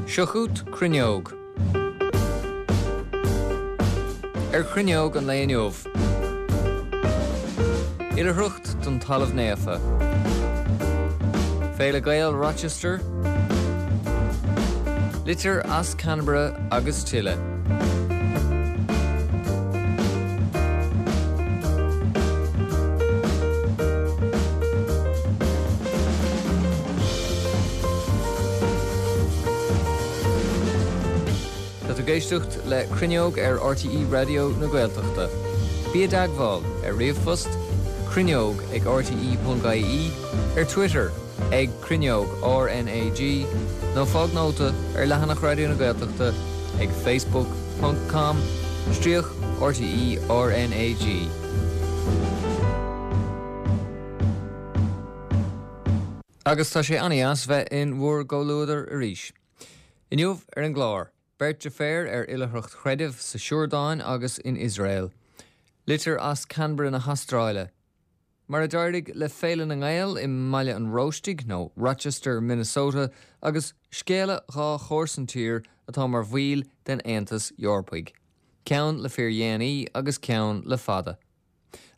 Seo chugat Cruinneog. Ar Chruinneog an lae inniu. Oilithreacht don Talamh Naofa. Féile Gael Rochester. Litir as Canberra agus tuilleadh. Tá tú ag éisteacht le Cruinneog ar RTÉ Raidió na Gaeltachta. Bí i dteagmháil ar ríomhphost, cruinneog ag rte.ie, ar Twitter ag Cruinneog RnaG nó fág nóta ar leathanach Raidió na Gaeltachta ag facebook ponc com stríoc RTÉ RnaG. Agus tá sé an-dheas bheith in bhur gcomhluadar arís. Inniu ar an gclár, beirt deirféar ar oilithreacht chreidimh sa Siordáin agus in Iosrael. Litir as Canberra na hAstráile. Mar a d'éirigh le Féile na nGael i mBaile an Róistigh, nó Rochester, Minnesota, agus scéala dhá chomharsan-tír atá mar bhaill den Aontas Eorpaigh. Ceann le fíordhéanaí agus ceann le fada.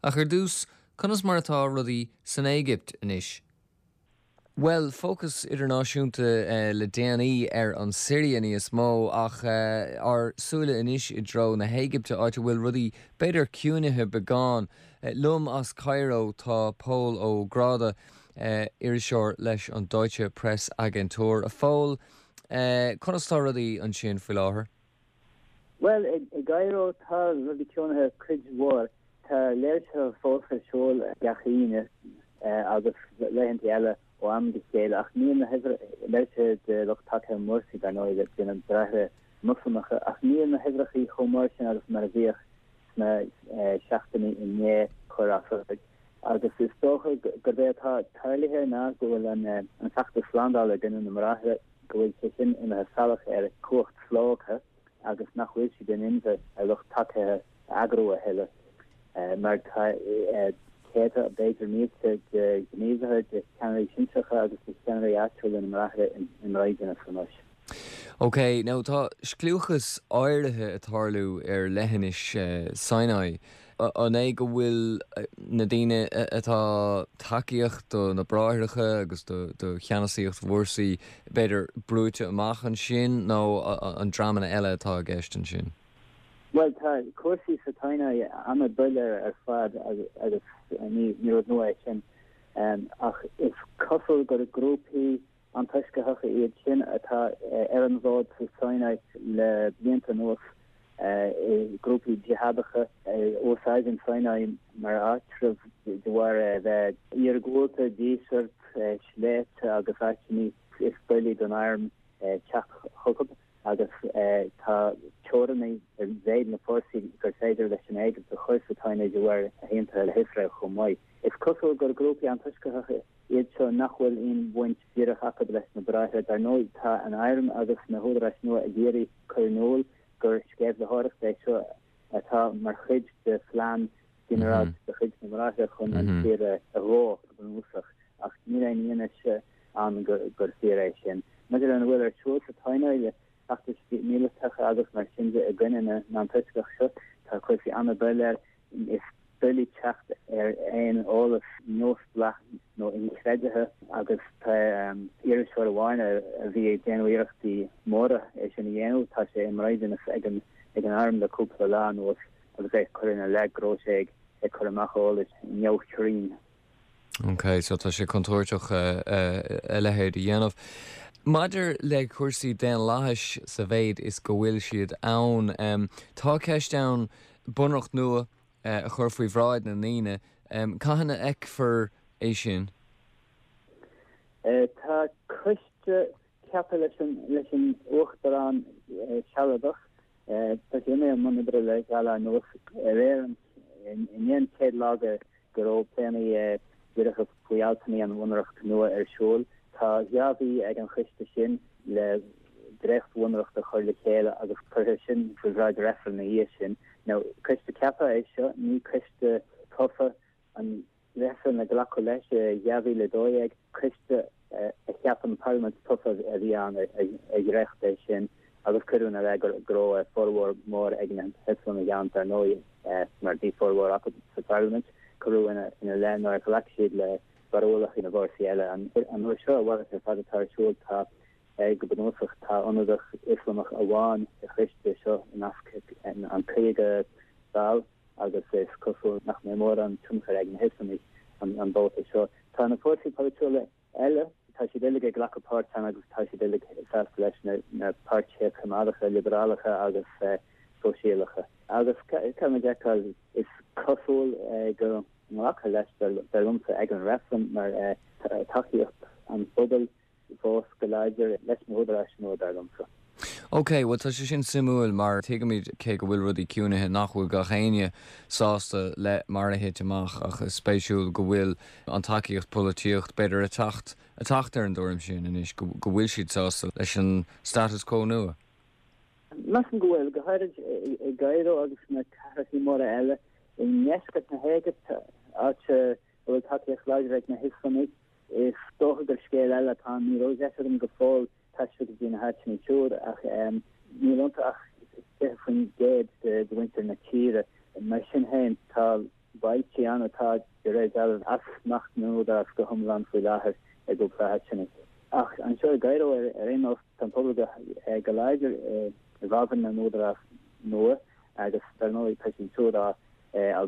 Ach ar dtús, conas mar atá rudaí san Éigipt anois? Bhuel, fócas idirnáisiúnta le déanaí ar an Siria níos mó, ach ár súile anois i dtreo na hÉigipte, áit a bhfuil rudaí b'fhéidir ciúinithe beagán. Liom as Cairo tá Pól Ó Gráda, iriseoir leis an Deutsche Presse Agentur. A Phóil, conas tá rudaí ansin faoi láthair? Bhuel, i gCairo tá rudaí ciúnaithe cuid mhór. Tá léirsithe fós ar siúl gach Aoine agus laethanta eile ó am go chéile ach níl na léirsithe de lucht tacaithe Mursi, dar ndóigh, de na Bráithre Moslamacha, ach níl na huimhreacha chomh mór sin agus mar a bhíodh sna seachtainí i ndiaidh cur as ord. Agus is dócha gurb é atá tarlaithe ná go bhfuil an feachtas slándála i gcoinne na mBráithre, go bhfuil sé sin imithe salach ar chumhacht slógtha agus nach bhfuil siad in inmhe a lucht tacaithe a eagrú a thuilleadh mar tá céadta, b'fhéidir mílte de ghníomhaithe, de cheannairí sinsearacha agus de cheannairí áitiúla na mBráithre i mbraighdeanas anois. Ok, now tá scliúchas áirithe ag tarlú ar leithinis Sinai. An é go bhfuil na daoine atá tacaíocht do na Bráithreacha agus do cheannasaíocht Mhursi, b'fhéidir, brúite amach ansin nó an dreamanna eile atá i gceist ansin? Bhuel, tá cúrsaí sa tSionái an-doiléir ar fad agus ní rud nua é sin. Ach is cosúil gur grúpaí antoisceacha iad sin atá ar an bhfód sa Sinai le blianta anuas, grúpaí jihadacha a úsáideann Sinai mar áitreabh de bharr a bheith iargúlta, díseart, sléibhte agus áiteanna is doiligh don arm teacht chucu agus tá teorainn ar mhéid na fórsaí gur féidir leis an Éigipt a chur sa tSionái de bharr a haontaithe le hIosrael chomh maith. Is cosúil gur grúpaí antoisceacha iad seo nach bhfuil aon bhaint dhíreach acu leis na Bráithre. Dar ndóigh, tá an arm agus na húdaráis nua ag iarraidh cur in iúl gur sceimhlitheoireacht é seo atá mar chuid de phlean ginearálta de chuid na mBráithre chun an tír a dhó go bunúsach, ach níl aon fhianaise ann gur fíor é sin. Maidir lena bhfuil ar siúl sa tSionái le feachtais mhíleatacha agus mar sin de i gcoinne na n-antoisceach seo, tá cúrsaí an-doiléir. Is doiligh teacht ar aon eolas neamhspleách nó inchreidthe agus tá iriseoir amháin a bhí ag déanamh iarrachtaí móra é sin a dhéanamh, tá sé i mbraighdeanas ag an arm le cúpla lá anuas agus é curtha ina leith go raibh sé ag cur amach eolais neamhchruinn. Ok, so tá sé contúirteach a leithéid a dhéanamh. Maidir le cúrsaí daonlathais sa mhéid is go bhfuil siad ann, tá ceist ann bunreacht nua a chur faoi bhráid na ndaoine. Cathain a fheicfear é sin? Tá coiste ceaptha leis an Uachtarán sealadach. Tá sé imithe i mbun oibre le dhá lá anuas. Aréir, i ndiaidh an chéad lá go go raibh pléanna díreacha faoi altanna an bhunreacht nua ar siúl. Tá dhá mhí ag an choiste sin le dréacht-bhunreacht a chur le chéile agus cuirfear sin faoi bhráid reifrinn ina dhiaidh sin. Now, coiste ceaptha é seo, ní coiste tofa. An reifreann a glacadh leis i 2012, coiste. a cheap an Parlaimint tofa a bhí ann a dhréacht é sin agus cuireadh ina leith go raibh formhór mór ag na hIoslamaigh ann, dar ndóigh, mar bhí formhór acu sa Pharlaimint. Cuireadh ina leith nár ghlac siad le barúlacha na bhfórsaí eile. An uair seo, a mhalairt ar fad atá ar siúl. Tá, go bunúsach, tá ionadach Ioslamach amháin sa choiste seo i measc an 50 ball agus is cosúil nach mbeidh mórán tionchair ag na hIoslamaigh an babhta seo. Tá na fórsaí polaitiúla eile, tá siad uilig ag glacadh páirt ann agus tá siad uilig sásta leis, na páirtithe coimeádacha, liobarálacha agus sóisialacha. Agus caithfidh muid a fheiceáil, is cosúil go nglacfar leis, dar liomsa, ag an reifreann mar tá tacaíocht an phobail fós go láidir leis na húdaráis nua, dar liomsa. Ok, bhuel tá sé sin suimiúil mar tuigimid cé go bhfuil rudaí ciúnaithe nach bhfuil gach éinne sásta le mar a thit amach ach is spéisiúil go bhfuil an tacaíocht polaitíocht b'fhéidir ag teacht ag teacht ar an dtuairim sin anois go go bhfuil siad sásta leis an status quo nua. Measaim go bhfuil, go háirid i gCairo agus sna cathracha móra eile i ndeisceart na hÉigipte, áit a bhfuil tacaíocht láidir ag na hIoslamaigh. Is dócha gur scéal eile atá ann. Ní raibh deis agam go fóill taisteal go dtí na háiteanna siúd ach níl iontu ach 20% de mhuintir na tíre. Mar sin féin, tá bailtí ann atá, de réir dealraimh, as smacht na n-údarás go hiomlán faoi láthair i gcúpla áiteanna. Ach anseo i gCairo, ar aon nós, tá an pobal go láidir i bhfabhar na n-údarás nua agus dar ndóigh tá siad siúd á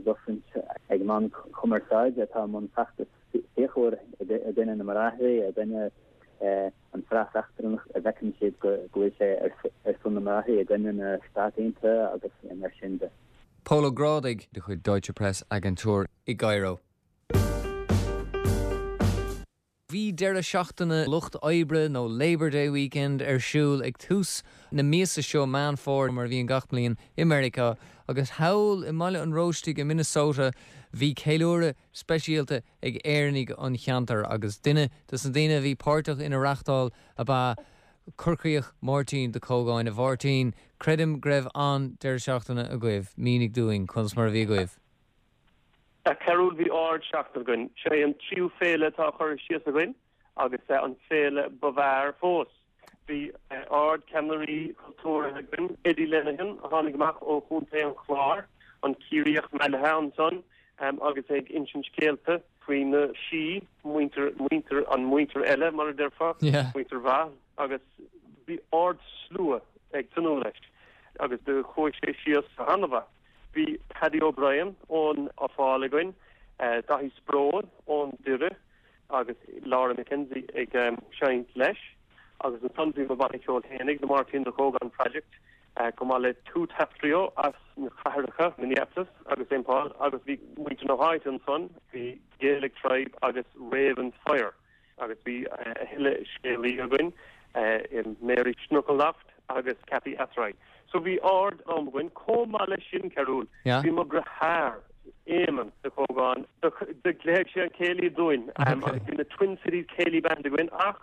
gcosaint ag meáin chumarsáide atá i mbun feachtas fíochmhar i gcoinne na mBráithre, i gcoinne an phreas eachtrannach a bhfeiceann siad go bhfuil sé ar son na mBráithre, i gcoinne na Stát Aontaithe agus mar sin de. Pól Ó Grádaigh de chuid Deutsche Presse Agentur i gCairo. Bhí deireadh seachtaine lucht oibre nó Labour Day Weekend ar siúl ag tús na míosa seo, Meán Fómhair, mar a bhíonn gach bliain i Meiriceá, agus thall i mBaile an Róistigh i Minnesota bhí ceiliúradh speisialta ag Éireannaigh an cheantair agus duine de na daoine a bhí páirteach ina reachtáil ab ea Corcaíoch Máirtín de Cógáin. A Mháirtín, creidim go raibh an-deireadh seachtaine agaibh, mínigh dúinn conas mar a bhí agaibh. A Chearúil, bhí ard-seachtain againn. Seo é an tríú féile atá á chur síos againn agus an féile ba bhfearr fós. Bhí ard-cheannairí cultúrtha againn, Eddie Lenihan a tháinig amach ó Chontae an Chláir, an Ciarraíoch meathlaithe ansan agus é ag insint scéalta faoi na sí, muintir, muintir, an muintir eile mar a déarfá, muintir mhaith agus bhí ard-slua ag tnúth leis agus do chuaigh sé síos an-mhaith. Bhí Paddy O'Brien ón Fáil againn, Daithí Sproule ón Doire agus Laura McKenzie ag seinnt leis agus ansan bhí mo bhanna ceoil fhéinig, The Máirtín De Cógáin Project, chomh maith le Two Tap Trio as na cathracha Minneapolis agus St Paul agus bhí muintir na háite ansan, bhí Gaelic Tribe agus Ravens Fire. Agus bhí a thuilleadh scéalaí againn, Mary Schnuckeldaft agus Cathy Athrye. So bhí ard am againn. Chomh maith leis sin, Cearúl, bhí mo dheartháir, Éamonn de Cógáin, do ghléigh sé an céilí dúinn agus bhí na Twin Cities Céilí Band againn ach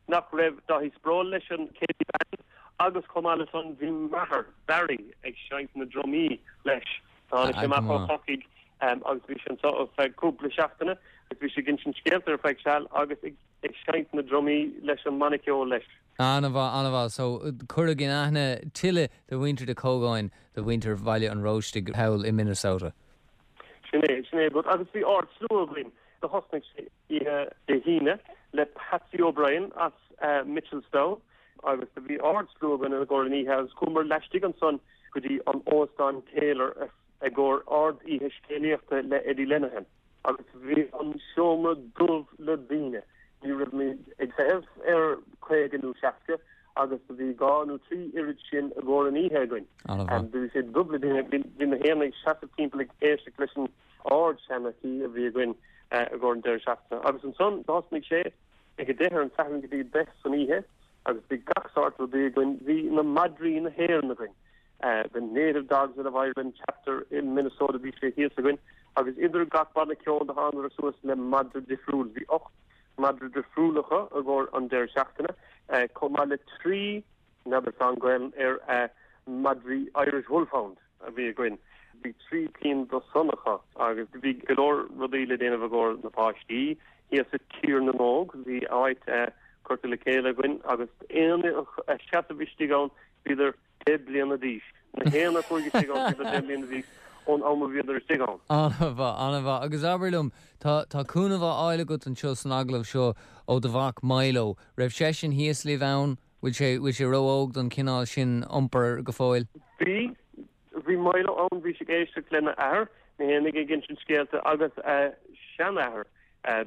nach raibh Dáithí Sproule leis an Céilí Band agus chomh maith le san bhí m'athair, Barry, ag seinnt na drumaí leis. Tháinig sé amach ó Chorcaigh agus bhí sé anseo ar feadh cúpla seachtaine agus bhí sé ag insint scéalta ar feadh seal agus ag seinnt na drumaí leis an mbanna ceoil leis. An-mhaith, an-mhaith. So, cuireadh in aithne tuilleadh de mhuintir de Cógáin do mhuintir Bhaile an Róistigh thall i Minnesota. Sin é, sin é rud. Agus bhí ard-slua againn. Do thosnaigh sé oíche Dé hAoine le Patsy O'Brien as Mitchelstown agus do bhí ard-slua againn i gcomhair an oíche agus chuamar laistigh ansan go dtí an Óstán Taylor i gcomhair ard-oíche scéalaíochta le Eddie Lenihan agus bhí an seomra dubh le daoine. Ní raibh muid ag feitheamh ar 50 nó 60 agus do bhí dhá nó trí oiread sin i gcomhair an oíche againn. Do bhí sé dubh le daoine. Bhí na héinne ag seasamh timpeall ag éisteacht leis an ard-seanchaí a bhí againn i gcomhair an deireadh seachtaine. Agus ansan thosnaigh sé ag a deich ar an Satharn go dtí a deich san oíche agus bhí gach sórt rudaí againn. Bhí na madraí na hÉireann againn, The Native Dogs of Ireland chapter i Minnesota bhí sé thíos againn agus idir gach banna ceoil do thángadar suas le madra difriúil. Bhí 8 madra difriúil acu i gcomhair an deireadh seachtaine chomh maith le 3 n'fheadar tá an Gaelainn ar madraí Irish Wolfhound a bhí againn. Bhí 3 cinn de san acu agus bhí go leor rudaí le déanamh i gcomhair na páistí. thíos i Tír na nÓg. Bhí áit curtha le chéile againn agus éinne a sheasamh istigh ann bhíodar 10 bliana d'aois. Na héinne a chuaigh istigh ann bhíodar 10 mbliana d'aois ón am a bhíodar istigh ann. An-mhaith, an-mhaith. Agus abair liom, tá, tá cúnamh á fháil agat anseo san agallamh seo ó do mhac Milo. Raibh seisean thíos libh ann? Bhfuil sé, bhfuil sé ró-óg don chineál sin iompair go fóill? Bhí. Bhí Milo ann, bhí sé ag éisteacht lena athair, mé fhéinig ag insint scéalta agus a sheanathair,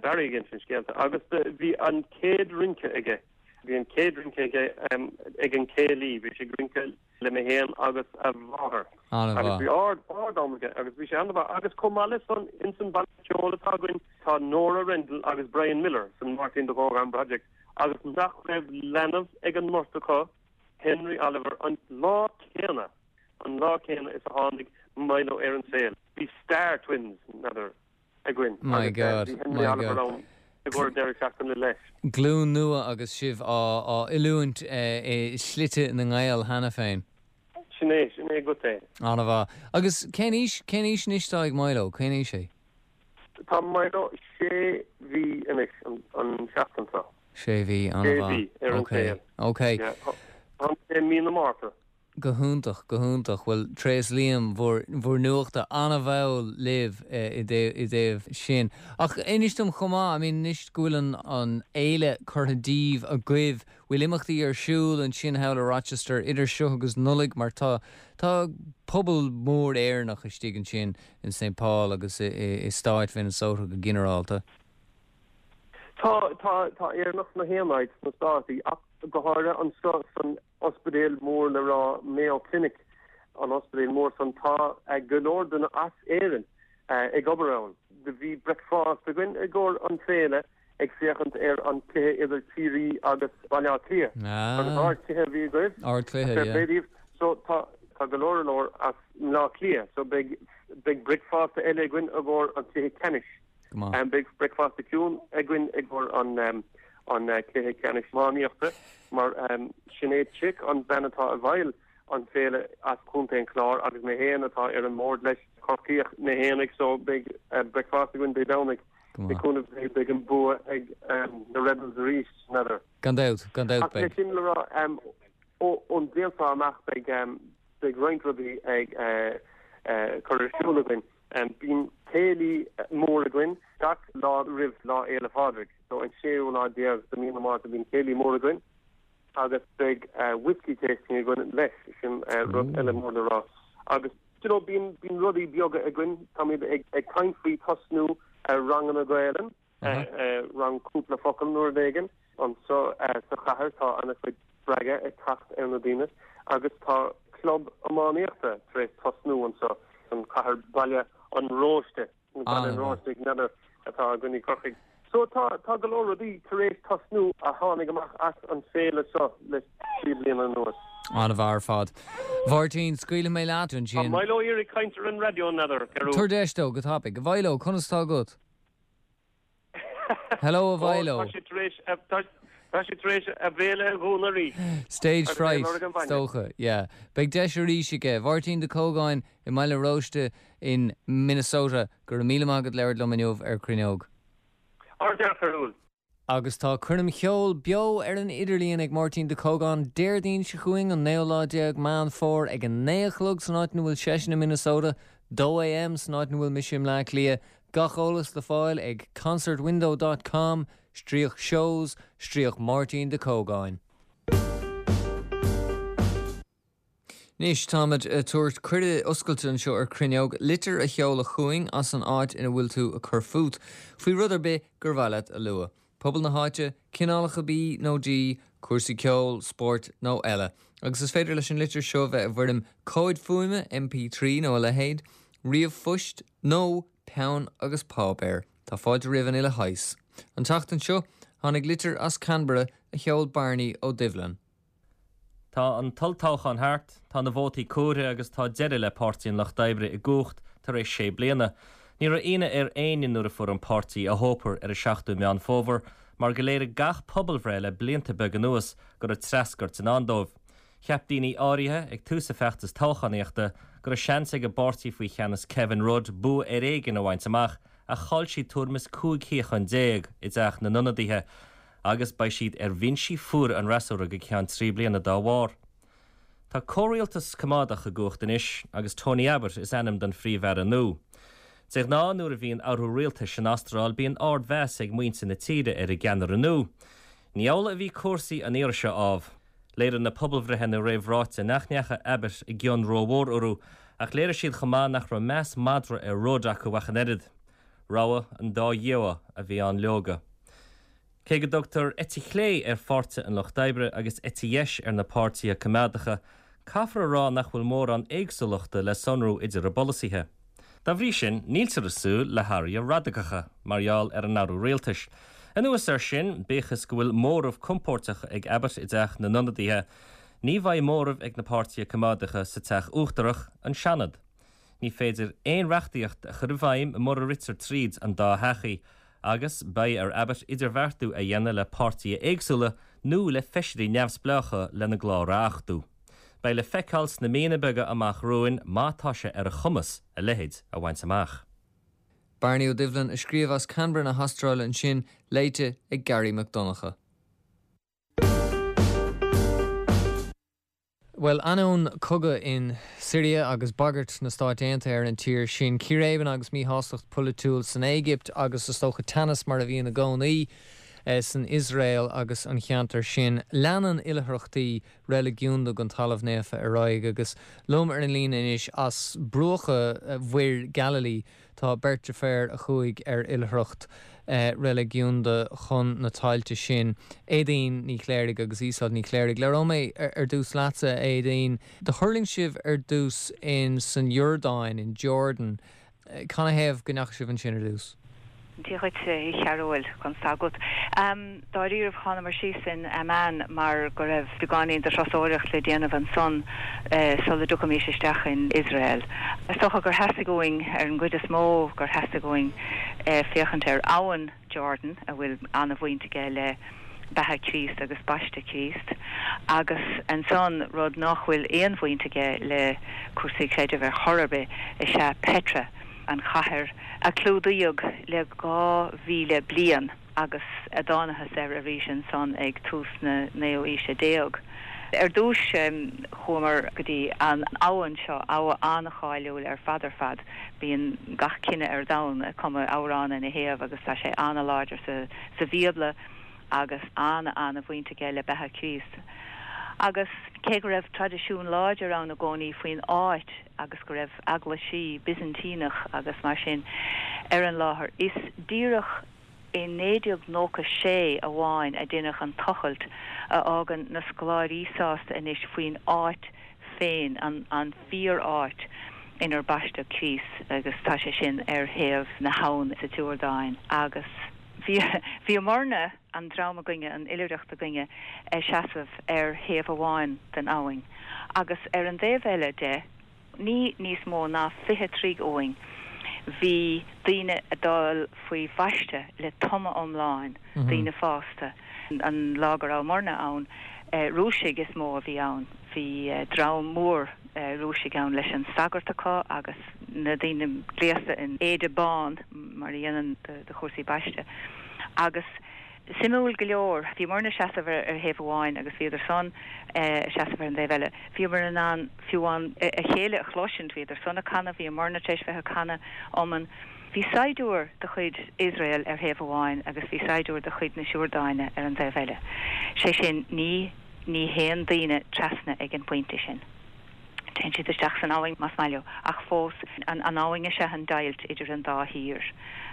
Barry ag insint scéalta agus bhí an chéad rince aige, bhí an chéad rince aige ag an céilí, bhí sé ag rince le mé fhéin agus a mháthair agus bhí ard, ard am aige agus bhí sé an-mhaith agus chomh maith le san, ins an banna ceoil atá againn tá Nora Rendell agus Brian Miller san Máirtín de Cógáin Project agus nach raibh leanbh ag an mbeirt acu, Henry Oliver an lá céanna, an lá céanna is a tháinig Milo ar an saol. Bhí star twins, n'fheadar, againn My agus God, bhí Henry my Oliver God. ann i gcomhair deireadh seachtaine leis. Glúin nua agus sibh á oiliúint i slite na nGael cheana féin. Sin é, sin é agat é. An-mhaith. Agus cén aois, cén aois anois atá ag Milo? Cén aois é? Tá Milo sé mhí anois an tseachtain seo. Sé mhí, an-mhaith. Sé mhí ar an saol. Ok. Tháinig sé i mí na Márta. Go hiontach, go hiontach. Bhuel, tréaslaím bhur, bhur nuachta an-mhall libh i dtaobh sin. Ach inis dom chomh maith, I mean anois go bhfuil an, an fhéile curtha díbh agaibh, bhfuil imeachtaí ar siúl ansin thall i Rochester idir seo agus Nollaig mar tá, tá pobal mór Éireannach istigh ansin in St Paul agus i, i stáit Mhinnesota go ginearálta. Tá, tá, tá Éireannach sna haon áit sna Státaí ach go háirithe anseo san ospidéal mór le rá Mayo Clinic, an ospidéal mór san, tá go leor duine as Éirinn ag obair ann. Do bhí bricfeasta againn i gcomhair an féile ag féachaint ar an cluiche idir Ciarraí agus Baile Átha Cliath. Agus ard-chluiche a bhí agaibh. Ard-chluiche, Fair yeah. play daoibh. So tá, tá go leor leor as mBleá Cliath so beidh, beidh bricfeasta eile againn i gcomhair an cluiche ceannais. Go maith. Beidh bricfeasta ciúin againn i gcomhair an an cluiche ceannais iománaíochta mar Sinéad Chick, an bean atá i bhfeighil an féile as Contae an Chláir agus mé féin atá ar an mbord leis, Corcaíoch mé fhéinig so beidh bricfeasta againn Dé Domhnaigh. Go Le maith. cúnamh Dé beidh an bua ag na Rebels arís, n'fheadar. Gan dabht, gan dabht Ach le beidh. sin le rá, ón bhliain seo amach beidh beidh roinnt rudaí ag cur ar siúl againn. Bíonn céilí mór againn gach lá roimh Lá Fhéile Pádraig, so an séú lá déag de mí na Márta bíonn céilí mór againn agus beidh whiskey tasting againn leis, sin rud eile mór le rá. Agus you know bíonn bíonn rudaí beaga againn, táimid ag ag caint faoi tosnú ranganna Gaelainn. Rang cúpla focal nó rud éigin. Anseo sa chathair tá an-chuid spreagadh ag teacht ar na daoine agus tá club iománaíochta tar éis tosnú anseo san chathair Baile an Róiste, nó Baile an Róistigh, n'fheadar, atá againn i gCorcaigh. So tá tá go leor rudaí tar éis tosnú a tháinig amach as an féile seo le 3 bliana anuas. An-mhaith ar fad. Mháirtín, scaoilfidh mé leat ansin. Tá Milo ag iarraidh caint ar an raidió, n'fheadar, Cearúl. Tabhair deis dó, go tapaidh. A Mhilo, conas tá agat? Hello a Mhilo. Tá sé tar éis tá sé tar éis a bhéal a dhúnadh arís. Stage fright, is dócha, yeah. Beidh deis arís aige. Máirtín de Cógáin i mBaile Róiste in Minnesota, go raibh míle maith agat labhairt liom inniu ar Cruinneog. Ardfhear, a Chearúil. Agus tá coirm cheoil beo ar an idirlíon ag Máirtín de Cógáin Déardaoin seo chugainn, an naoú lá déag Meán Fómhair ag 9 a chlog san áit ina bhfuil seisean i Minnesota, 2 AM san áit ina bhfuil mise i mBleá Cliath. Gach eolas le fáil ag concertwindow dot com, stríoc shows, stríoc Máirtín de Cógáin. Anois, táimid ag tabhairt cuireadh oscailte anseo ar Cruinneog litir a sheoladh chugainn as an áit ina bhfuil tú ag cur fút, faoi rud ar bith gur mhaith leat a lua. Pobal na háite, cineálacha bídh nó dí, cúrsaí ceoil, spóirt nó eile. Agus is féidir leis an litir seo bheith i bhfoirm comhaid fuaime, MP3 nó a leithéid, ríomhphoist nó peann agus páipéar. Tá fáilte roimh an uile shaghas. An tseachtain seo, tháinig litir as Canberra a sheol Barney Ó Doibhlin. Tá an t-olltoghchán thart, tá na vótaí comhairthe agus tá deireadh le Páirtí an Lucht Oibre i gcumhacht tar éis sé bliana. Ní raibh ionadh ar éinne nuair a fuair an páirtí a thópar ar an 7ú Meán Fómhair mar go léirigh gach pobalbhreith le blianta beaga anuas go raibh treascairt i ndán dóibh. Cheap daoine áirithe, ag tús a feachtas toghchánaíochta, go raibh seans ag an bpáirtí faoi cheannas Kevin Rudd bua ar éigean a bhaint amach. ach chaill siad tuairim is 15 shuíochán i dTeach na nIonadaithe agus beidh siad ar bhinsí fuara an fhreasúra go ceann 3 bliana dá bharr. Tá comhrialtas coimeádach i gcumhacht anois agus Tony Abbott is ainm don Phríomh-Aire nua. De ghnáth nuair a bhíonn athrú rialtais san Astráil bíonn ardmheas ag muintir na tíre ar an gceannaire nua. Ní amhlaidh a bhí cúrsaí an iarraidh seo ámh. Léirigh na pobalbhreitheanna réamhráite nach ndeachaigh Abbott i gcion rómhór orthu ach léirigh siad chomh maith nach raibh meas madra ar Rudd acu ach an oiread. Rogha an dá dhíogha a bhí ann leoga. Cé go dtugtar eite chlé ar Pháirtithe an Lucht Oibre agus eite dheis ar na páirtithe coimeádacha, caithfear a rá nach bhfuil mórán éagsúlachta le sonrú idir a bpolasaithe. Dá bhrí sin, níltear ag súil le hathruithe radacacha mar gheall ar an athrú rialtais. Anuas air sin, bíodh is go bhfuil móramh compóirteach ag Abbott i dTeach na nIonadaithe, ní bheidh móramh ag na páirtithe coimeádacha sa Teach Uachtarach, an Seanad. Ní féidir aon reachtaíocht a chur i bhfeidhm mura ritear tríd an dá theach í, agus beidh ar Abbott idirbheartú a dhéanamh le páirtithe éagsúla nó le feisirí neamhspleácha lena gclár a achtú. Beidh le feiceáil sna míonna beaga amach romhainn má tá sé ar a chumas a leithéid a bhaint amach. Bearnaí Ó Doibhlin a scríobh as Canberra na hAstráile ansin, léite ag Garry Mac Donncha. Bhuel, ainneoin cogadh in Siria agus bagairt na Stáit Aontaithe ar an tír sin, círéibeanna agus míshástacht polaitiúil san Éigipt agus is dócha teannas mar a bhíonn i gcónaí san Iosrael agus an cheantar sin, leanann oilithreachtaí reiligiúnda don Talamh Naofa ar aghaidh agus liom ar an líne anois as bruacha Mhuir Galilee Tá beirt deirféar a chuaigh ar oilithreacht reiligiúnda chun na tailte sin, Éadaoin Ní Chléirigh agus Iosóid Ní Chléirigh. Labhróidh mé ar dtús leatsa, a Éadaoin. Do thuirling sibh ar dtús in san Iordáin, in Jordan. Canathaobh go ndeachaigh sibh ansin ar dtús? Dia dhuit, a Chearúil, conas tá agat? Dáiríribh, thánamar síos in Amman mar go raibh beagáinín de thurasóireacht le déanamh ansan sula dtiocfaimís isteach in Iosrael. Is dócha gur theastaigh uainn, ar an gcuid is mó, gur theastaigh uainn féachaint ar abhainn Jordan, a bhfuil an-bhaint aige le beatha Chríost agus baisteadh Chríost, agus ansan, rud nách bhfuil aon bhaint aige le cúrsaí creidimh ar chor ar bith, is ea Petra. an chathair a clúdaíodh le 2,000 bliain agus a dtánathas air arís ansan ag tús na naoú aoise déag. Ar dtúis chuamar go dtí an abhainn seo, abha an-cháiliúil ar fad ar fad. Bíonn gach cine ar domhan ag cumadh amhrán ina thaobh agus tá sé an-láidir sa Bhíobla agus an-an-bhaint aige le beatha Chríost. Agus cé go raibh traidisiún láidir ann i gcónaí faoin áit, agus go raibh eaglaisí Byzantíneach agus mar sin ar an láthair. Is díreach i 1996 amháin a deineadh an tochailt a fhágann na scoláirí sásta anois faoin áit féin, an fíor-áit inar baisteadh Críost agus tá sé sin ar thaobh na habhann sa tSiordáin. Agus bhí, bhíomarna, an dream againne, an oilithreacht againne, ag seasamh ar thaobh amháin den abhainn agus ar an dtaobh eile de, ní níos mó ná 20 troigh uainn, bhí daoine ag dul faoi bhaisteadh le tumadh iomlán, daoine fásta. An lá go rabhamarna ann, Rúisigh is mó a bhí ann. Bhí dream mór Rúisigh ann leis an sagart acu agus na daoine gléasta in éide bán mar a dhéanann do chúrsaí baiste. Agus suimiúil go leor, bhíomarna ag seasamh ar thaobh amháin agus bhíodar san ag seasamh ar an dtaobh eile. Bhíomar in ann fiú amháin a chéile a chloisint, bhíodar san ag canadh, bhíomarna tar éis bheith ag canadh iomann. Bhí saighdiúir de chuid Iosrael ar thaobh amháin agus bhí saighdiúir de chuid na Siordáine ar an dtaobh eile. Sé sin, ní ní théann daoine trasna ag an bpointe sin. Téann siad isteach san abhainn más maith leo, ach fós, an abhainn is ea an deighilt idir an dá thír.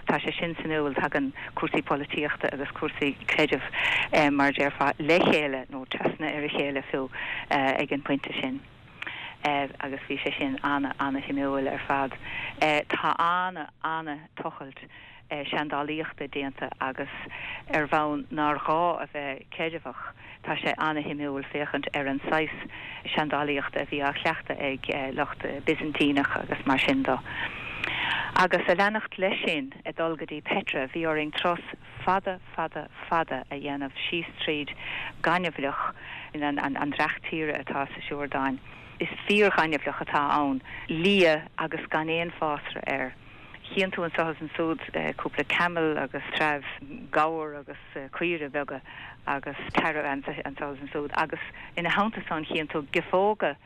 Tá sé sin suimiúil, tagann cúrsaí polaitíochta agus cúrsaí creidimh, mar a déarfá, le chéile, nó trasna ar a chéile fiú, ag an bpointe sin. Agus bhí sé sin ana-ana-shuimiúil ar fad. Tá ana-ana-tochailt seandálaíochta déanta agus ar bhonn nár ghá a bheith creideamhach, tá sé ana-shuimiúil féachaint ar an saghas seandálaíochta a bhí á chleachtadh ag lucht Byzantíneach agus mar sin do. Agus a leanacht leis sin, ag dul go dtí Petra, bhí orainn turas fada, fada, fada a dhéanamh síos tríd gaineamhlach, an dreach tíre atá sa Siordáin. Is fíor-ghaineamhlach atá ann, liath agus gan aon fásra air. Chíonn tú anso is ansúd cúpla camall agus treabh gabhar agus caoire beaga agus tarbh anso is ansúd agus ina theannta san chíonn tú giofóga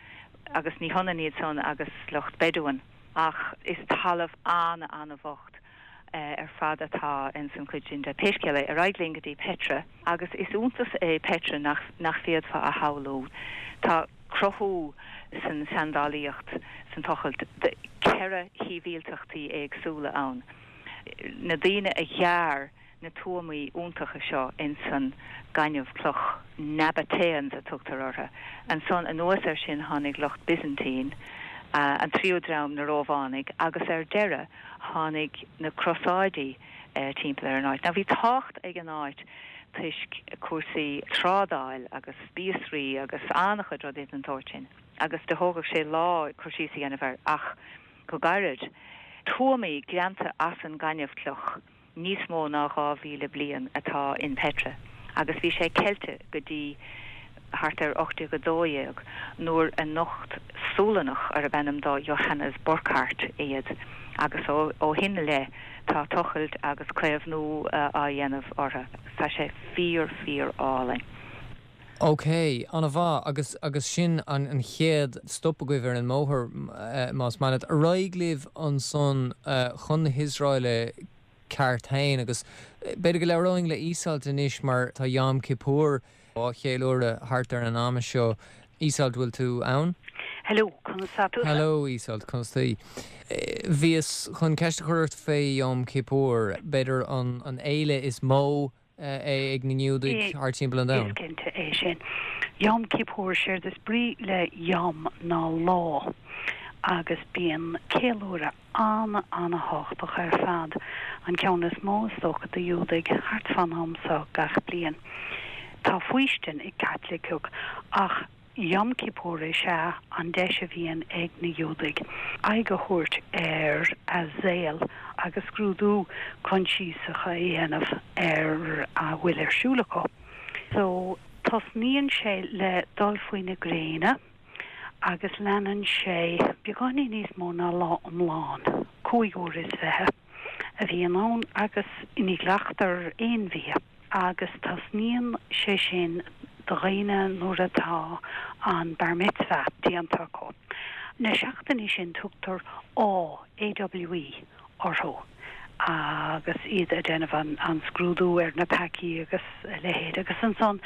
agus ní hionann iad san agus lucht Bedouin ach is talamh ana-ana-bhocht ar fad atá ins an chuid sin de. Pé scéal é, ar aghaidh linn go dtí Petra agus is iontas é Petra nach nach bhféadfá a shamhlú. Tá cruthú san seandálaíocht san tochailt de cheithre shibhialtachtaí éagsúla ann. Na daoine a ghearr na tuamaí iontacha seo ins an gaineamh cloch, Nabataeans a tugtar orthu. Ansan anuas air sin tháinig lucht Byzantine, an tríú dream na Rómhánaigh agus ar deireadh tháinig na Crosáidí timpeall ar an áit. Now bhí tábhacht ag an áit toisc cúrsaí trádáil agus spíosraí agus an-chuid rudaí den tsórt sin agus do thógfadh sé lá cur síos a dhéanamh air ach go gairid, tuamaí greanta as an gaineamhchloch níos mó ná 2,000 bliain atá in Petra agus bhí sé ceilte go dtí thart ar 1812 nuair a nocht Sualannach arb ainm dó Johannes Burckhardt iad agus ó shin i leith tá tochailt agus caomhnú á dhéanamh orthu. Tá sé fíor fíor álainn. Ok, an-mhaith, agus agus sin an an chéad stop agaibh ar an mbóthar, más maith leat. Ar aghaidh libh ansan chun na hIosraeile ceart féin agus b'fhéidir go labhróinn le Iseult anois mar tá Yom Kippur á cheiliúradh thart ar an am seo. Iseult, bhfuil tú ann? Hello, conas tá tusa? Hello Iseult, conas taoi? Bhíos chun ceist a chur ort fé Yom Kippur, b'fhéidir an an fhéile is mó é ag na Giúdaigh thart timpeall an domhain. Is cinnte é sin. Yom Kippur, séard is brí le Yom ná lá agus bíonn ceiliúradh an-an-thábhachtach ar fad, an ceann is mó is dócha do Ghiúdaigh, thart fán am seo gach bliain. Tá faoistin ag Caitlicigh ach Yom Kippur is ea an deis a bhíonn ag na Giúdaigh aghaidh a thabhairt ar a saol agus scrúdú coinsiasach a dhéanamh ar a bhfuil ar siúl acu. So, tosnaíonn sé le dul faoi na gréine agus leanann sé beagáinín níos mó ná lá iomlán, 25 uair a bhíonn ann agus ní ghlactar aon bhia. agus tosnaíonn sé sin do dhaoine nuair atá an Bar Mitzvah déanta acu. Na seachtainí sin tugtar Awe, AWE, orthu agus iad ag déanamh an scrúdú ar na peacaí agus a leithéid agus ansan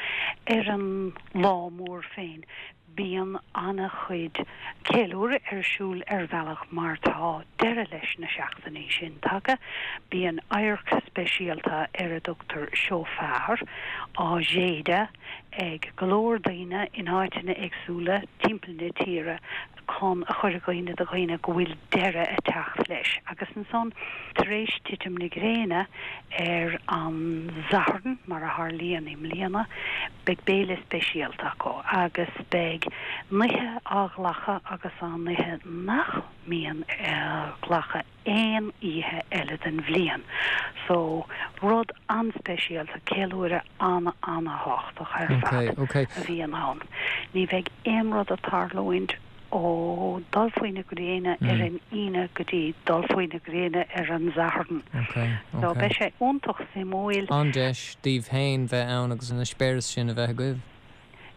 ar an lá mór féin Bíonn an-chuid ceiliúradh ar siúl ar bhealach mar tá deireadh leis na seachtainí sin tagtha. Bíonn adharc speisialta ar a dtugtar shofar á shéideadh ag go leor daoine in áiteanna éagsúla timpeall na tíre chun a chur i gcuimhne do dhaoine go bhfuil deireadh ag teacht leis. Agus ansan tar éis titim na gréine ar an Satharn, mar a tharlaíonn i mbliana, Beidh béile speisialta acu agus beidh nithe á ghlacadh agus á n-ithe nach mbíonn á nglacadh aon oíche eile den bhliain. So, rud an-speisialta, ceiliúradh an-an-thábhachtach ar fad a bhíonn ann. Ní bheidh aon rud ag tarlúint. ó dul faoi na gréine ar an Aoine go dtí dul faoi na gréine ar an Satharn. So beidh sé iontach suimiúil. An-deis daoibh féin bheith ann agus an eispéireas sin a bheith agaibh.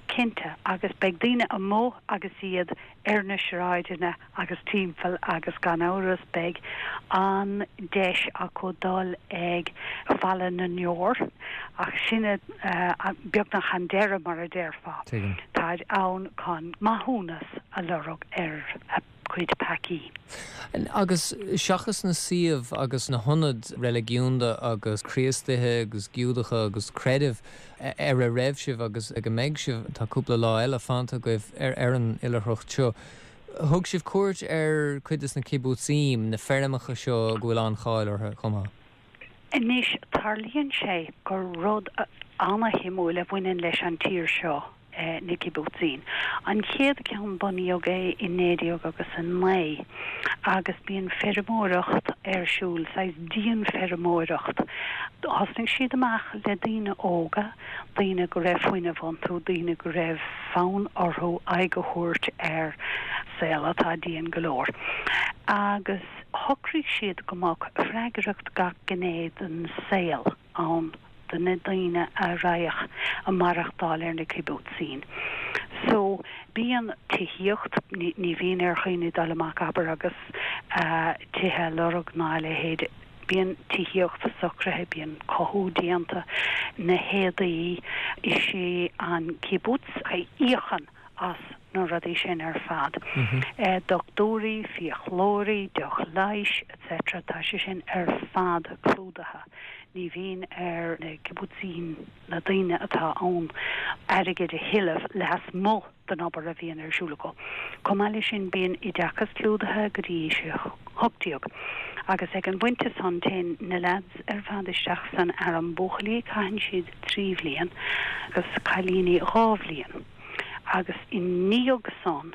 Cinnte, agus beidh daoine amuigh agus iad ar na sráideanna agus timpeall agus gan amhras beidh an deis acu dul ag Falla na nDeor ach sin beagnach an deireadh mar a déarfá. Tuigim. Táid ann chun maithiúnas a lorg ar a gcuid peacaí. Agus seachas na suímh agus na hionaid reiligiúnda agus Críostaithe agus Giúdacha agus creidimh ar a raibh sibh agus ag a mbeidh sibh, tá cúpla lá eile fanta agaibh ar an oilithreacht seo. Thug sibh cuairt ar cuid de na kibbutzim, na feirmeacha seo go bhfuil an-cháil orthu chomh maith. Anois, tarlaíonn sé gur rud ana-shuimiúil a bhaineann leis an tír seo na kibbutzim. An chéad ceann bunaíodh é i 19 agus 9 agus bíonn feirmeoireacht ar siúl, saghas dianfheirmeoireacht. Thosnaigh siad amach le daoine óga, daoine go raibh fuinneamh iontu, daoine go raibh fonn orthu aghaidh a thabhairt ar saol atá dian go leor. Agus. Shocraigh siad go mbeadh freagracht gach gné den saol ann do na daoine a raghadh a maireachtáil ar na kibbutzim. So, bíonn tithíocht, ní bhíonn ar dhaoine dul amach, abair, agus tithe a lorg ná a leithéid. Bíonn tithíocht socraithe, bíonn cothú déanta, na héadaí, is é an kibbutz a íocann as na rudaí sin ar fad. Dochtúirí, fiaclóirí, deoch leighis, etc. Tá sé sin ar fad clúdaithe. Ní bhíonn ar na kibbutzim, na daoine atá ann, airgead a thuilleamh lasmuigh den obair a bhíonn ar siúl acu. Chomh maith leis sin, bíonn oideachas clúdaithe go dtí aois 18 agus ag an bpointe san téann na leaids ar fad isteach san arm. Buachaillí caitheann siad 3 bhliain agus cailíní 2 bhliain agus i ndiaidh san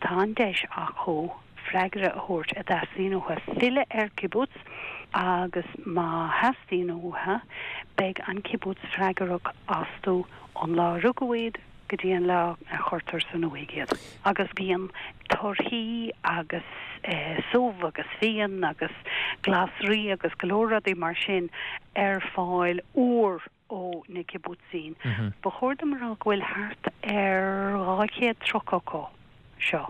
tá an deis acu freagra a thabhairt a dteastaíonn uathu filleadh ar kibbutz agus má theastaíonn uathu beidh an kibbutz freagrach astu ón lá a rugadh iad go dtí an lá a chuirtear san uaigh iad. Agus bíonn torthaí agus subh agus fíon agus glasraí agus go leor rudaí mar sin ar fáil úr ó na kibbutzim. Ba chóir dom a rá go bhfuil thart ar 230 acu seo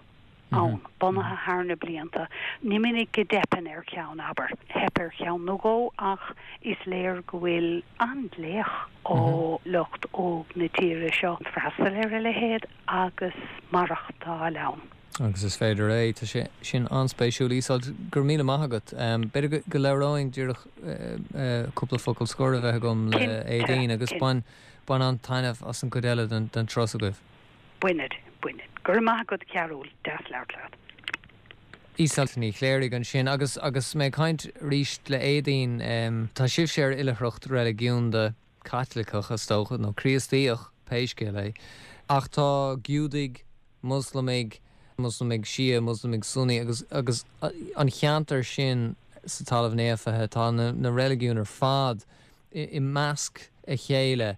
ann, bunaithe thar na blianta. Ní minic go dteipeann ar cheann, abair. Theip ar cheann nó dhó ach is léir go bhfuil an-ghlaoch ó lucht óg na tíre seo freastal ar a leithéid agus maireachtáil ann. Agus is féidir é. Tá sé sin an-spéisiúil. Iseult, go raibh míle maith agat. B'fhéidir go labhróinn díreach cúpla focal scoir a bheith agam le Éadaoin agus bain an-taitneamh as an gcuid eile den turas agaibh. Bainfidh, bainfidh. Go raibh maith agat, a Chearúil. Deas labhairt leat. Iseult Ní Chléirigh ansin. Agus agus mé ag caint arís le Éadaoin, tá sibhse ar oilithreacht reiligiúnda, Caitliceach is dócha, nó Críostaíoch, pé scéal é. Ach tá Giúdaigh, Moslamaigh, Moslamaigh Shia, Moslamaigh Sunni agus agus an cheantar sin sa Talamh Naofa, tá na na reiligiúin ar fad i measc a chéile.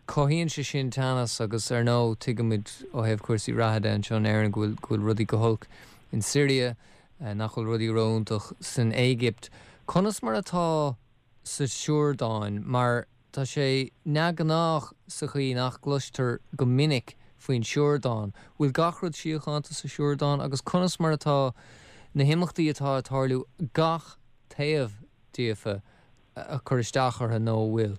Cothaíonn sé sin teannas agus ar ndóigh tuigimid ó thaobh cúrsaí reatha de anseo in Éirinn go bhfuil go bhfuil rudaí go holc in Siria, nach bhfuil rudaí ró-iontach san Éigipt. Conas mar atá sa Siordáin mar tá sé neamhghnách sa chaoi nach gcloistear go minic faoin Siordáin. Bhfuil gach rud síochánta sa Siordáin agus conas mar atá na himeachtaí atá ag tarlú gach taobh díofa ag cur isteach orthu nó an bhfuil?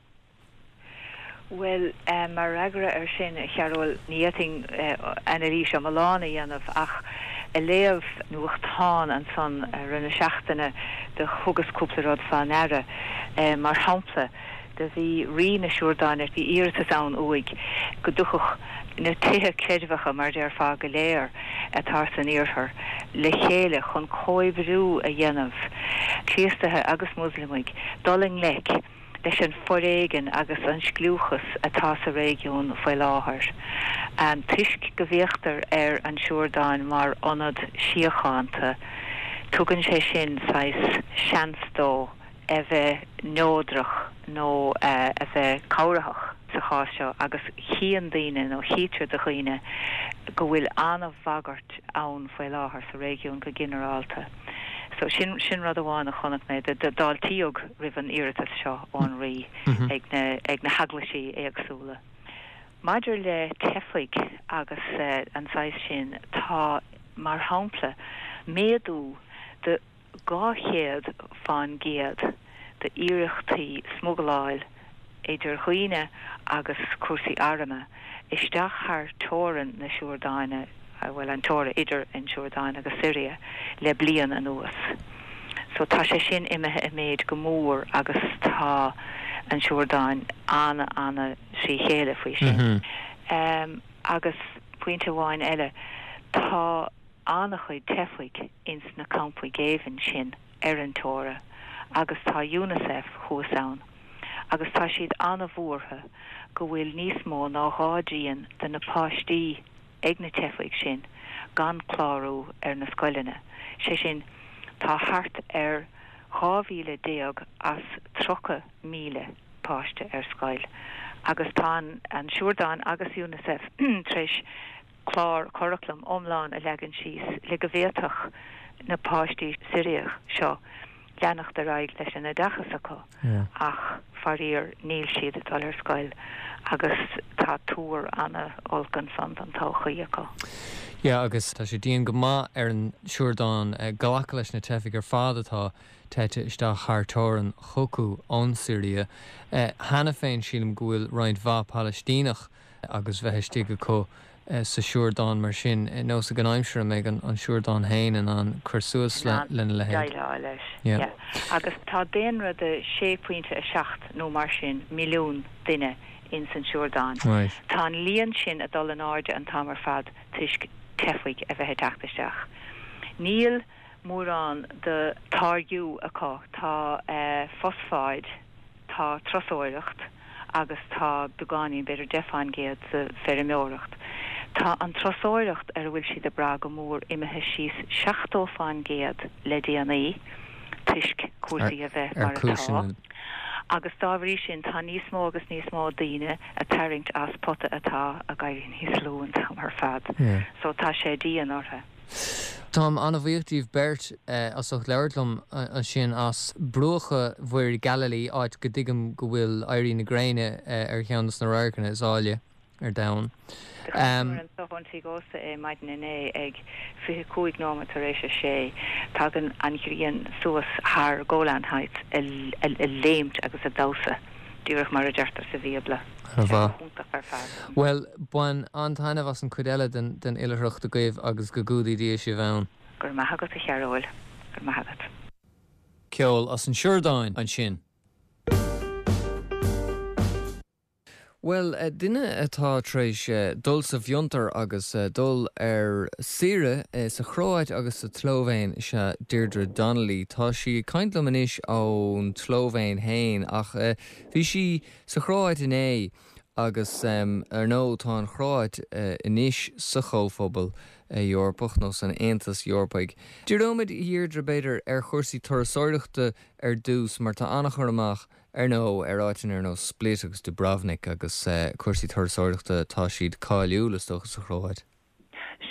Bhuel, mar fhreagra air sin, a Chearúil, ní fhéadfainn anailís iomlán a dhéanamh ach ag léamh nuachtán ansan i rith na seachtaine do thugas cúpla rud fá ndeara. Mar shampla, do bhí Rí na Siúrdáine, bhí iarratas ann uaidh go dtiocfadh na tithe creidmheacha, mar déarfá, go léir atá san iarthar le chéile chun comhoibriú a dhéanamh, Críostaithe agus Muslamaigh, dul i ngleic leis an foréigean agus an scliúchas atá sa réigiún faoi láthair. Toisc go bhféachtar ar an Siúrdáin mar ionad síochánta, tugann sé sin saghas seans dó a bheith neodrach nó a bheith cabhraitheach sa chás seo agus chíonn daoine nó chítear do dhaoine go bhfuil an-bhagairt ann faoi láthair sa réigiún go ginearálta. So sin, sin rud amháin a chonaic mé. D'fháiltíodh roimh an iarratas seo ón Rí ag na, ag na heaglaisí éagsúla. Maidir le teifigh agus an saghas sin, tá, mar shampla, méadú de 200 fán gcéad d'iarrachtaí smugaláil idir dhaoine agus cúrsaí airm isteach thar teorainn na Siúrdáine, bhuel, an teorainn idir an Siúrdáin agus Siria, le bliain anuas. So tá sé sin imithe i méid go mór agus tá an Siúrdáin ana-ana-thrí chéile faoi sin. Agus pointe amháin eile, tá. an-chuid teifigh ins na campaí géibhinn sin ar an teora agus tá Unicef thuas ann agus tá siad an-bhuartha go bhfuil níos mó ná dhá dtrian de na páistí ag na teifigh sin gan clárú ar na scoileanna, sé sin tá thart ar 12,000 as 30,000 páiste ar scoil agus tá an Siúrdáin agus Unicef tar éis clár curaclaim iomlán a leagan síos le go bhféadfadh. na páistí Siriach seo leanacht ar aghaidh leis an oideachas acu ach faraor níl siad ag dul ar scoil agus tá tuar ana-olc ansan don todhchaí acu. Yeah agus tá sé dian go maith ar an Siordáin glacadh leis na teifigh ar fad atá teite isteach thar teorainn chucu ón Siria. Cheana féin sílim go bhfuil roinnt mhaith Palaistíneach agus bheith istigh acu sa Siordáin mar sin, nós ag an aimsir a mbeidh an Siordáin féin in ann cur suas lena leithéid. Déileáil leis, yeah. Agus tá daonra de 6.7 nó mar sin milliún duine ins an Siordáin. Tá an líon sin ag dul in airde an t-am ar fad toisc teifigh a bheith ag teacht isteach. Níl mórán de táirgiú acu, tá fosfáid, tá turasóireacht agus tá beagáinín, b'fhéidir 10 fán gcéad, de feirmeoireacht. Tá an turasóireacht ar a bhfuil siad ag brath go mór imithe síos 70 fán gcéad le déanaí toisc cúrsaí a bheith mar atá agus dá bhrí sin tá níos mó agus níos mó daoine ag tarraingt as pota atá ag éirí níos lú an t-am ar fad. So tá sé dian orthu. Táim an-bhuíoch díbh beirt as ucht labhairt liom ansin as bruacha Mhuir Galilee, áit go dtuigim go bhfuil éirí na gréine ar cheann de na radharcanna is áille ar domhan. Do chonaiceamar anso ón tigh ósta é maidin inné ag 25 nóiméad tar éis a sé. Tagann an ghrian suas thar Golan Heights ag léimt agus ag damhsa. Díreach mar a deirtear sa Bhíobla. Tá sé go hiontach ar fad. Bhuel, bain an-taitneamh as an chuid eile den oilithreacht agaibh agus go gcumhdaí Dia sibh ann. Go raibh maith agat, a Chearúil. Go raibh maith agat. Ceol as an Siordáin ansin. Bhuel, duine atá tar éis dul sa bhfiontar agus dul ar saoire sa Chróit agus sa tSlóivéin is ea Deirdre Donnelly. Tá sí ag caint liom anois ón tSlóivéin féin ach bhí sí sa Chróit inné agus ar ndóigh tá an Chróit anois sa Chomhphobal Eorpach nó san Aontas Eorpaigh. Díreoimid, a Dheirdre, b'fhéidir, ar chúrsaí turasóireachta ar dtús mar tá an-chur amach ar ndóigh, ar áiteanna ar nós Split agus Dubrovnik agus cúrsaí turasóireachta, tá siad cáiliúil, is dócha, sa Chróit.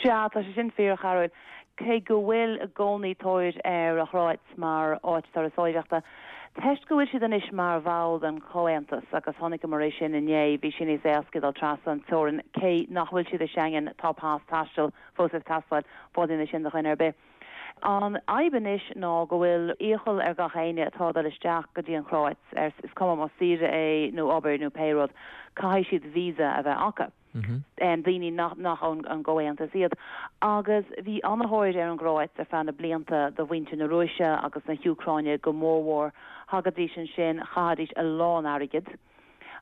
Sea, tá sé sin fíor, a Chearúil. Cé go bhfuil i gcónaí tóir ar an Chróit mar áit turasóireachta, toisc go bhfuil siad anois mar bhall den Chomhaontas, agus chonaiceamar é sin inné, bhí sé níos éasca dul trasna an teorainn, cé nach bhfuil siad i Schengen, tá pas taistil fós ag teastáil, folaíonn é sin do dhuine ar bith. An fhadhb anois ná go bhfuil iachall ar gach éinne atá ag dul isteach go dtí an Chróit, is cuma más saoire é nó obair nó pé rud, caithfidh siad visa a bheith acu, daoine nach ón gComhaontas iad. Agus bhí an-thóir ar an gCróit ar feadh na blianta do mhuintir na Rúise agus na hÚcráine go mórmhór. Thagaidís ansin, chaithidís a lán airgid.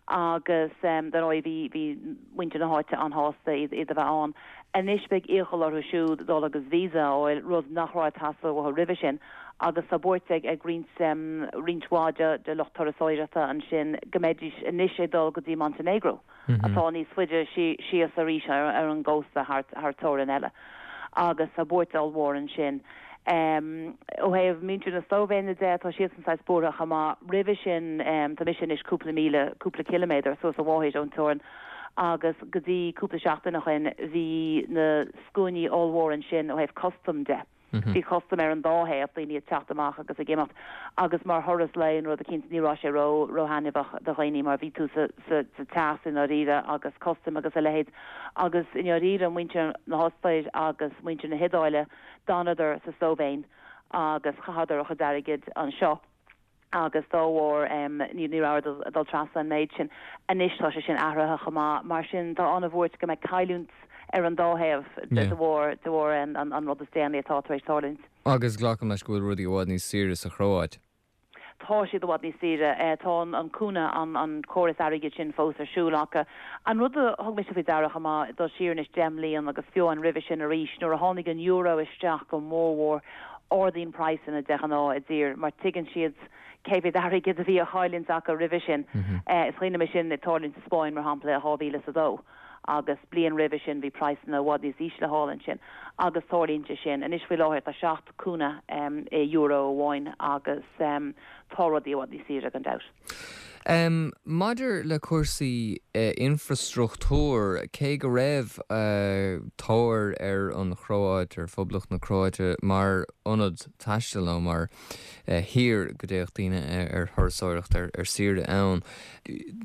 agus dar ndóigh bhí bhí muintir na háite an-shásta iad iad a bheith ann. Anois beidh iachall orthu siúd dul agus visa a fháil, rud nach raibh ag teastáil uathu roimhe sin, agus tá buairt ag ag roinnt roinnt mhaith de de lucht turasóireachta ansin go mbeidís anois ag dul go dtí Montenegro atá níos faide síos arís ar ar an gcósta thar thar teorainn eile agus tá buairt ollmhór ansin. Ó thaobh muintir na Slóivéine de, tá siadsan saghas buartha chomh maith. Roimhe sin, tá mise anois cúpla míle, cúpla ciliméadar suas an bhóthair ón teorainn agus go dtí cúpla seachtain ó shin bhí na scuainí ollmhóra ansin ó thaobh custam de. Bhí custam ar an dá thaobh, daoine ag teacht amach agus ag imeacht agus mar thuras lae nó rud eicínt ní raibh sé ró, ró-thaitneamhach do dhaoine mar bhí tú sa, sa, sa teas i ndáiríre agus custam agus a leithéid agus i ndáiríre muintir na hOstair agus muintir na hIodáile D'fhanadar sa tSlóivéin agus chaitheadar a chuid airgid anseo agus dá bharr ní rabhadar ag dul trasna an méid sin. Anois tá sé sin athraithe chomh maith. Mar sin tá an-bhuairt go mbeidh cailliúint ar an dá thaobh de bharr de bharr an rud is déanaí atá tar éis tarlúint. Agus glacaim leis go bhfuil rudaí i bhfad níos saoire sa Chróit. Tá siad i bhfad níos saoire. Tá an kuna, an córas airgid sin fós ar siúl acu. An rud a thug mise faoi deara chomh maith, dul siar anois 10 mbliain agus fiú amháin roimhe sin arís, nuair a tháinig an euro isteach go mórmhór, ardaíonn praghsanna de ghnáth i dtír mar tuigeann siad cé mhéad airgid a bhí á chailliúint acu roimhe sin. Is cuimhin liom é sin ag tarlúint sa Spáinn, mar shampla, i 2002. agus bliain roimhe sin bhí praghsanna i bhfad níos ísle thall ansin agus tarlaíonn sé sin. Anois faoi láthair tá 7 kuna i euro amháin agus tá rudaí i bhfad níos saoire gan dabht. Maidir le cúrsaí infreastruchtúir, cé go raibh tóir ar an Chróáit, ar Phoblacht na Cróite mar ionad taistil nó mar thír go dtéadh daoine ar thurasóireacht, ar saoire ann,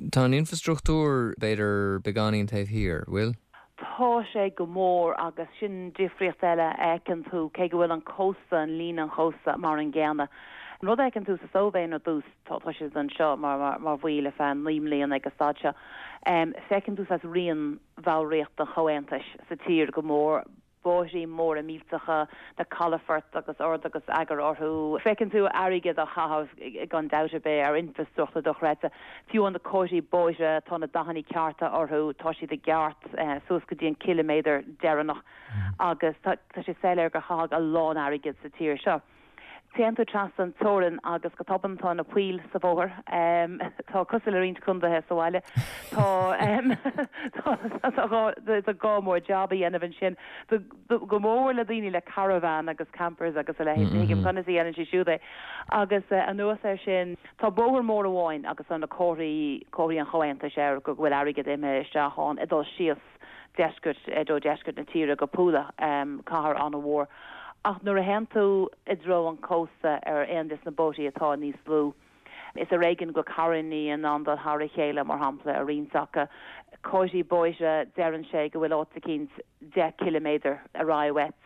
tá an infreastruchtúr b'fhéidir beagáinín taobh thiar, bhfuil? Tá sé go mór agus sin difríocht eile a fheiceann tú, cé go bhfuil an cósta, an líne an chósta mar an gcéanna. An rud a fheiceann tú sa tSlóivéin ar dtús, tá siad anseo mar bhaill ar feadh 9 mbliana ag an staid seo, feiceann tú saghas rian bhallraíocht an Chomhaontais sa tír go mór, bóithrí móra millteacha, na calafoirt agus ord agus eagar orthu. Feiceann tú airgead á chaitheamh gan dabht ar bith ar infreastruchtúr dochreidte. Fiú amháin na comharthaí bóithre, tá na dathanna cearta orthu, tá siad i gceart suas go dtí an ciliméadar deireanach agus tá sé soiléir gur caitheadh a lán airgid sa tír seo. Téann tú trasna an teorainn agus go tobann tá na poill sa bhóthar. Tá cosúil le roinnt condaetha sa bhaile. Tá tá gá mór jab a dhéanamh ansin. Go mór le daoine le caravan agus campers agus a leithéid. Ní thuigim conas a dhéanann siad siúd é. Agus anuas air sin, tá bóthar mór amháin agus tá na comharthaí, comharthaí an Chomhaontais air go bhfuil airgead imithe isteach ann ag dul síos. deisceart, i dtreo deisceart na tíre go Pula, cathair an-mhór. Ach nuair a théann tú i dtreo an chósta ar aon des na bóithrí atá níos lú, is ar éigean go bhfuil carrannaí in ann dul thar a chéile, mar shampla, ar roinnt acu. Comharthaí bóithre, deireann sé go bhfuil áit eicínt 10 ciliméadar ar aghaidh uait.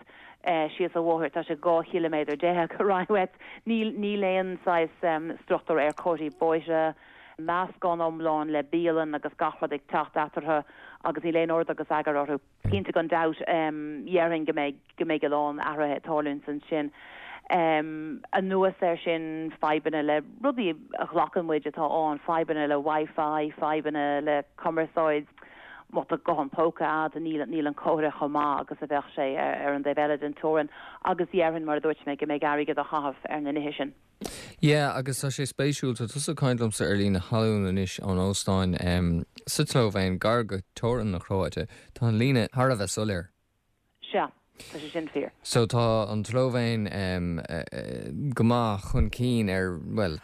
Síos an bhóthair, tá sé 12 chiliméadar ar aghaidh uait. Níl, níl aon saghas struchtúr ar chomharthaí bóithre. Meascán iomlán le bialann agus gach rud ag teacht eatarthu agus níl aon ord agus eagar orthu. Cinnte gan dabht dhéarfainn go mbeidh go mbeidh a lán athruithe ag tarlúint ansin. Anuas air sin fadhbanna le rudaí a ghlacann muid atá ann, fadhbanna le Wi-Fi, fadhbanna le cumarsáid, má tá guthán póca a'd níl níl an comhartha chomh maith agus a bheadh sé ar an dtaobh eile den teorainn agus dhéarfainn mar a dúirt mé go mbeidh airgead á chaitheamh ar na nithe sin. Yeah, agus tá sé spéisiúil, tá tusa ag caint liomsa ar líne thalún anois ón óstán sa tSlóivéin, gar go teorainn na Cróite. Tá an líne thar a bheith soiléir. Sea, tá sé sin fíor. So tá an tSlóivéin go maith chun cinn ar, bhuel,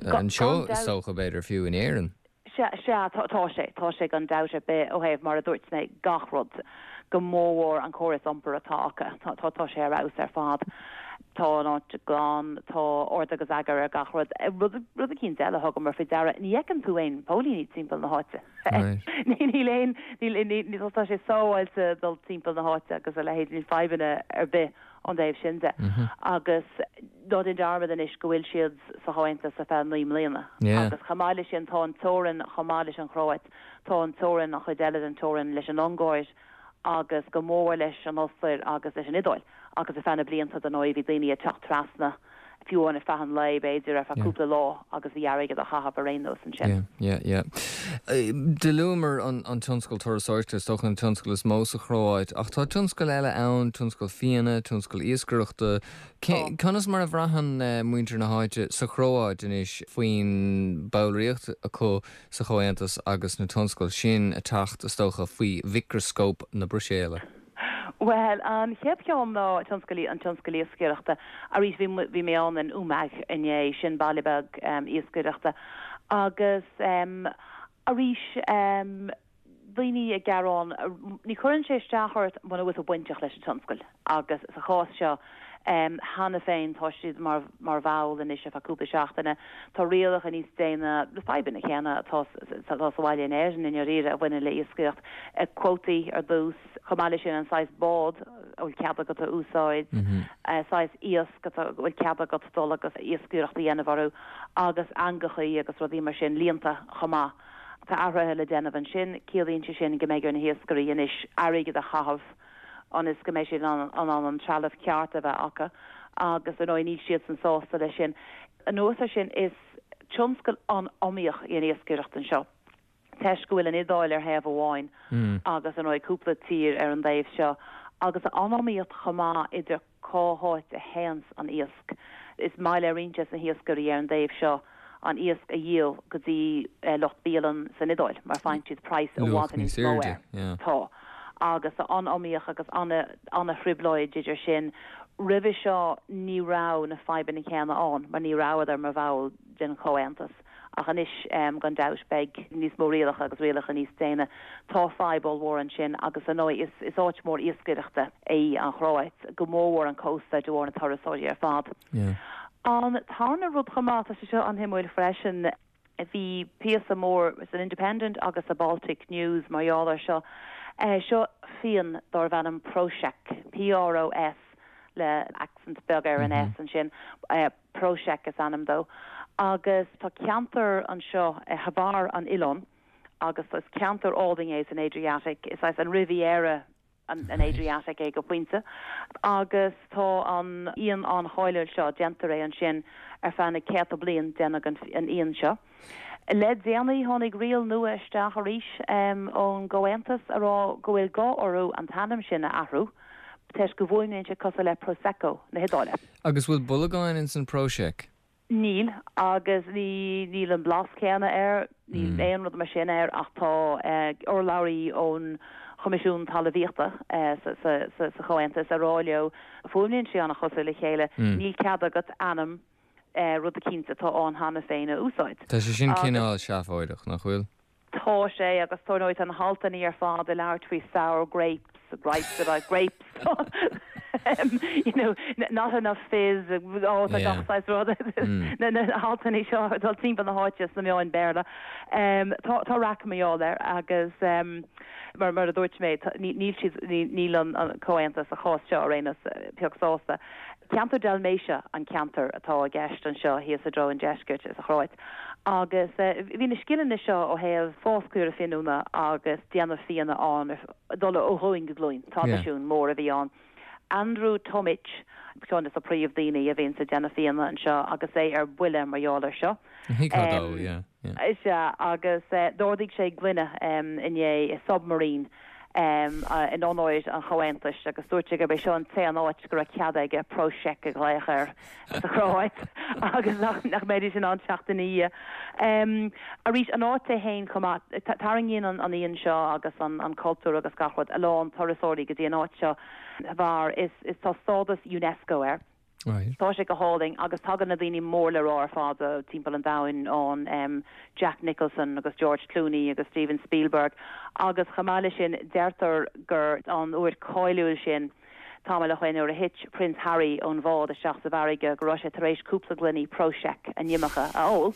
anseo is dócha, b'fhéidir fiú in Éirinn. Sea, sea, tá sé, tá sé gan dabht ar bith ó thaobh, mar a dúirt mé, gach rud, go mórmhór an córas iompair atá acu, tá, tá, tá sé ar fheabhas ar fad. Tá an áit glan, tá ord agus eagar ar gach rud. Rud, rud eicínt eile a thugamar faoi deara, ní fheiceann tú aon póilíní timpeall na háite. Níl aon, níl, níl, tá sé sábháilte dul timpeall na háite agus a leithéid, níl fadhbanna ar bith ón dtaobh sin de. Agus ná déan dearmad anois go bhfuil siad sa Chomhaontas ar feadh 9 mbliana. Agus chomh maith leis sin tá an teorainn chomh maith leis an Chróit, tá an teorainn, an chuid eile den teorainn leis an Ungáir agus go mór leis an Ostair agus leis an Iodáil. Agus ar feadh na blianta dar ndóigh bhí daoine ag teacht trasna fiú amháin ar feadh an lae b'fhéidir, ar feadh cúpla lá agus bhí airgead á chaitheamh ar aon nós ansin. Yeah, yeah, yeah. Do luamar an tionscal turasóireachta, is dócha an tionscal is mó sa Chróit, ach tá tionscail eile ann, tionscal fíona, tionscal iascaireachta. Conas mar a bhraitheann muintir na háite sa Chróit anois faoin bhallraíocht acu sa Chomhaontas agus na tionscail sin ag teacht, is dócha, faoi mhicreascóp na Bruiséile? Bhuel, an chéad cheann ná tionscal, an tionscal iascaireachta. Arís, bhí, bhí mé ann in Umag inné, sin baile beag iascaireachta. Agus arís, daoine ag gearán, ní chuireann sé isteach ort muna bhfuil tú bainteach leis an tionscal. Agus sa chás seo, cheana féin tá siad mar, mar bhall anois ar feadh cúpla seachtaine. Tá rialacha níos déine, na fadhbanna céanna atá, atá sa bhaile in Éirinn i ndáiríre a bhaineann le iascaireacht, cuótaí ar dtús, Chomh maith leis sin, an saghas bád a bhfuil cead agat a úsáid, saghas iasc a bhfuil cead agat dul agus iascaireacht a dhéanamh orthu, agus eangachaí agus rudaí mar sin, líonta chomh maith. Tá athruithe le déanamh ansin. Ciallaíonn sé sin go mbeidh ar na hiascairí anois airgead a chaitheamh ionas go mbeidh siad in ann an trealamh ceart a bheith acu agus, ar ndóigh, níl siadsan sásta leis sin. Anuas air sin, is tionscal an-iomaíoch í an iascaireacht anseo. toisc go bhfuil an Iodáil ar thaobh amháin agus, ar ndóigh, cúpla tír ar an dtaobh seo, agus an-iomaíocht chomh maith idir cá háit a théanns an iasc. Is maith le roinnt des na hiascairí ar an dtaobh seo an iasc a dhíol go dtí lucht bialann san Iodáil mar faigheann siad praghas i bhfad níos mó air. Tá. Agus tá an-iomaíocht agus an-thrioblóid idir sin. Roimhe seo ní raibh na fadhbanna céanna ann mar ní rabhadar mar bhall den Chomhaontas. Ach anois, gan dabht, beidh níos mó rialacha agus rialacha níos déine. Tá fadhb ollmhór ansin agus, ar ndóigh, is áit mhór iascaireachta í an Chróit, go mórmhór an cósta de bharr na turasóirí ar fad. An tarna rud chomh maith, tá sé seo an-shuimiúil freisin, bhí píosa mór san Independent agus sa Baltic News mar gheall air seo. Seo fíon darbh ainm Prošek, P-R-O-S le accent beag ar an S ansin. Prošek is ainm dó agus tá ceantar anseo ar bharr an oileáin agus is ceantar álainn é san Adriatic, is saghas an Riviera an Adriatic é go pointe agus tá an fhíon an-cháiliúil seo, déantar é ansin ar feadh na céadta bliain, déanadh an fhíon seo. Le déanaí tháinig riail nua isteach arís ón gComhaontas a rá go bhfuil gá orthu an t-ainm sin a athrú toisc go bhfuaimníonn sé cosúil le Prosecco na hIodáile. Agus bhfuil bolagáin ins an Prošek? Níl, agus níl an blas céanna air, níl aon rud mar sin air ach tá urlabhraí ón Choimisiún Talmhaíochta sa Chomhaontas a rá leo, fuaimníonn sé an-chosúil le chéile, níl cead agat ainm rud eicínt atá ann cheana féin a úsáid. Tá sé sin cineál seafóideach, nach bhfuil? Tá sé, agus tá, tá na haltanna ar fad ag labhairt faoi sour grapes, gripes about grapes, you know, not enough fizz, oh, tá gach saghas rud, na haltanna seo ag dul timpeall na háite sna meáin Béarla. Tá, tá raic mar gheall air agus mar, mar a dúirt mé, níl siad, níl an Comhaontas sa chás seo ar aon nós pioc sásta. Ceantar Dalmatia an ceantar atá i gceist anseo thíos i dtreo an deiscirt sa Chróit agus bhí na scileanna seo ó thaobh fás caora fíniúna agus déanamh fíona ann ag dul ó ghlúin go glúin, traidisiún mór a bhí ann. Andrew Tomic, ceann de na príomh-daoine a bhíonns ag déanamh fíona anseo agus é ar buile mar gheall air seo. Thuigfeá dó, yeah, yeah. Is ea, agus d'ardaigh sé gloine inné i Submarine in onóir an Chomhaontais agus dúirt sé gurb é seo an t-aon áit go raibh cead aige Prošek a ghlaoch air sa Chróit agus nach mbeidís in ann teacht ina dhiaidh. Arís, an áit é féin chomh maith, tarraingíonn an fhíon seo agus an cultúr agus gach rud a lán turasóirí go dtí an áit seo mar is tá stádas Unesco air. Tá sé go hálainn agus tagann na daoine mór le rá ar fad timpeall an domhain ann, Jack Nicholson agus George Clooney agus Steven Spielberg agus chomh maith leis sin deirtear gur an uair cáiliúil sin tamall ó shoin nuair a thit Prince Harry ón bhád isteach sa bhfarraige go raibh sé tar éis cúpla gloiní Prošek a nhimeacha a ól.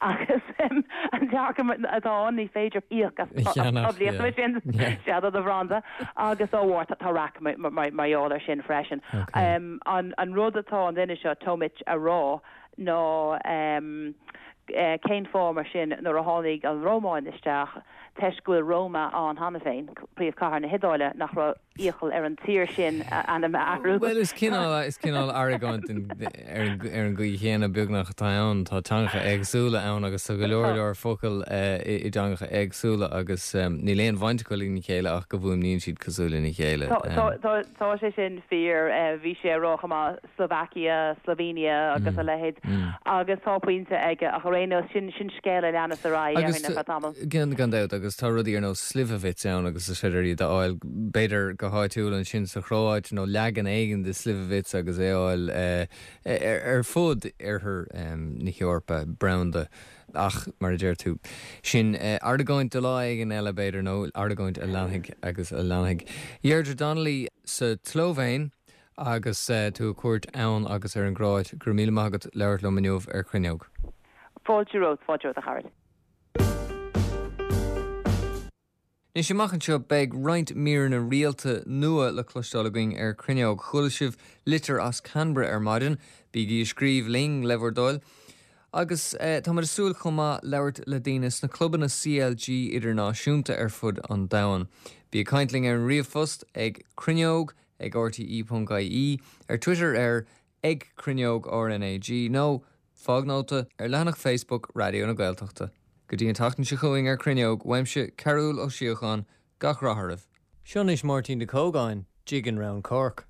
Agus an dearcadh atá ann, ní féidir íoc as poiblíocht mar sin, sea, do do bhranda. Agus dá bharr, tá raic mar gheall air sin freisin. An rud atá an duine seo, Tomic, a rá ná cén fáth mar sin nuair a tháinig an Rómáin isteach, toisc go bhfuil Roma ann cheana féin, príomhchathair na hIodáile, nach raibh iachall ar an tír sin a ainm a athrú. Bhuel, is cineál, is cineál argóint ar an gcaoi chéanna beagnach atá ann. Tá teangacha éagsúla ann agus tá go leor leor focal i dteangacha éagsúla agus níl aon bhaint acu lena chéile ach go bhfuaimníonn siad cosúil lena chéile. Tá sé sin fíor. Bhí sé ag rá chomh maith Slovakia, Slovenia agus a leithéid agus tá pointe aige ach ar aon nós sin sin scéal a leanas ar aghaidh ar feadh tamaill. Gan gan dabht agus tá rudaí ar nós Slivovitz ann agus is féidir iad a fháil b'fhéidir go háitiúil ansin sa Chróit nó leagan éigin de Slivovitz agus é a fháil ar fud oirthear na hEorpa branda ach mar a deir tú sin argóint do lá éigin eile b'fhéidir nó argóint a leanfaidh agus a leanfaidh. Deirdre Donnelly sa tSlóivéin Agus tú ag cuairt ann agus ar an gCróit, go raibh míle maith agat labhairt liom inniu ar Cruinneog. Fáilte romhat, fáilte romhat a Chearbhaill. Anois amach anseo beidh roinnt míreanna rialta nua le cloisteáil againn ar Cruinneog. Chuala sibh litir as Canberra ar maidin, bígí ag scríobh linn le bhur dtoil. Agus táimid ag súil chomh maith labhairt le daoine sna clubanna CLG idirnáisiúnta ar fud an domhain. Bí ag caint linn ar an ríomhphost ag cruinneog ag rte.ie, ar Twitter ar ag Cruinneog RnaG nó fág nóta ar leathanach Facebook Raidió na Gaeltachta. Go dtí an tseachtain seo chugainn ar Cruinneog, uaimse Cearúll Ó Síocháin, gach rath oraibh. Seo anois Máirtín de Cógáin, Jiggin' Round Cork.